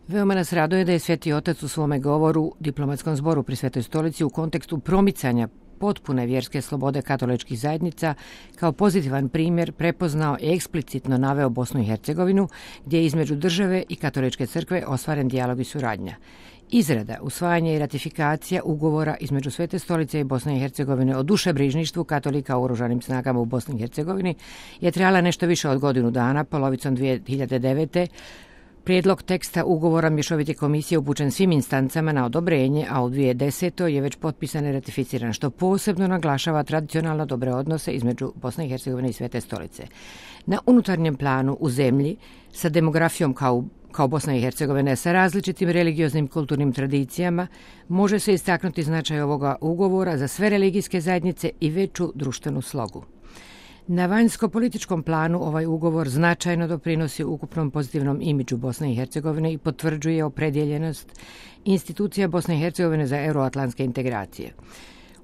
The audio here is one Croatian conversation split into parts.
Veoma nas raduje da je Sveti Otac u svome govoru diplomatskom zboru pri Svetoj stolici u kontekstu promicanja potpune vjerske slobode katoličkih zajednica kao pozitivan primjer prepoznao i eksplicitno naveo Bosnu i Hercegovinu, gdje je između države i katoličke crkve ostvaren dijalog i suradnja. Izrada, usvajanje i ratifikacija ugovora između Svete stolice i Bosne i Hercegovine o dušebrižništvu katolika u oružanim snagama u Bosni i Hercegovini je trajala nešto više od godinu dana, polovicom 2009. Prijedlog teksta ugovora Mješovite komisije upućen svim instancama na odobrenje, a u 2010. je već potpisan i ratificiran, što posebno naglašava tradicionalno dobre odnose između Bosne i Hercegovine i Svete stolice. Na unutarnjem planu u zemlji, sa demografijom kao Bosna i Hercegovina, sa različitim religioznim kulturnim tradicijama, može se istaknuti značaj ovoga ugovora za sve religijske zajednice i veću društvenu slogu. Na vanjsko-političkom planu ovaj ugovor značajno doprinosi ukupnom pozitivnom imidžu Bosne i Hercegovine i potvrđuje opredjeljenost institucija Bosne i Hercegovine za euroatlantske integracije.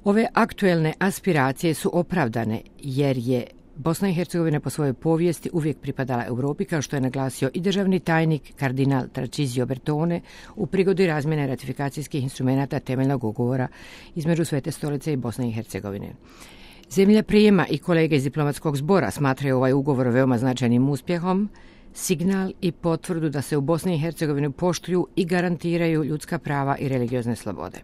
Ove aktuelne aspiracije su opravdane jer je Bosna i Hercegovina po svojoj povijesti uvijek pripadala Europi, kao što je naglasio i državni tajnik kardinal Tarcisio Bertone u prigodi razmjene ratifikacijskih instrumenata temeljnog ugovora između Svete stolice i Bosne i Hercegovine. Zemlja prijema i kolege iz diplomatskog zbora smatraju ovaj ugovor veoma značajnim uspjehom, signal i potvrdu da se u Bosni i Hercegovini poštuju i garantiraju ljudska prava i religiozne slobode.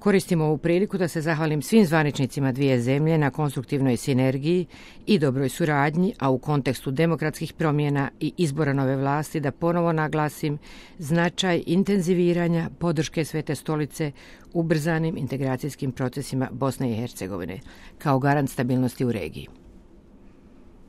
Koristim ovu priliku da se zahvalim svim zvaničnicima dvije zemlje na konstruktivnoj sinergiji i dobroj suradnji, a u kontekstu demokratskih promjena i izbora nove vlasti da ponovo naglasim značaj intenziviranja podrške Svete stolice ubrzanim integracijskim procesima Bosne i Hercegovine kao garant stabilnosti u regiji.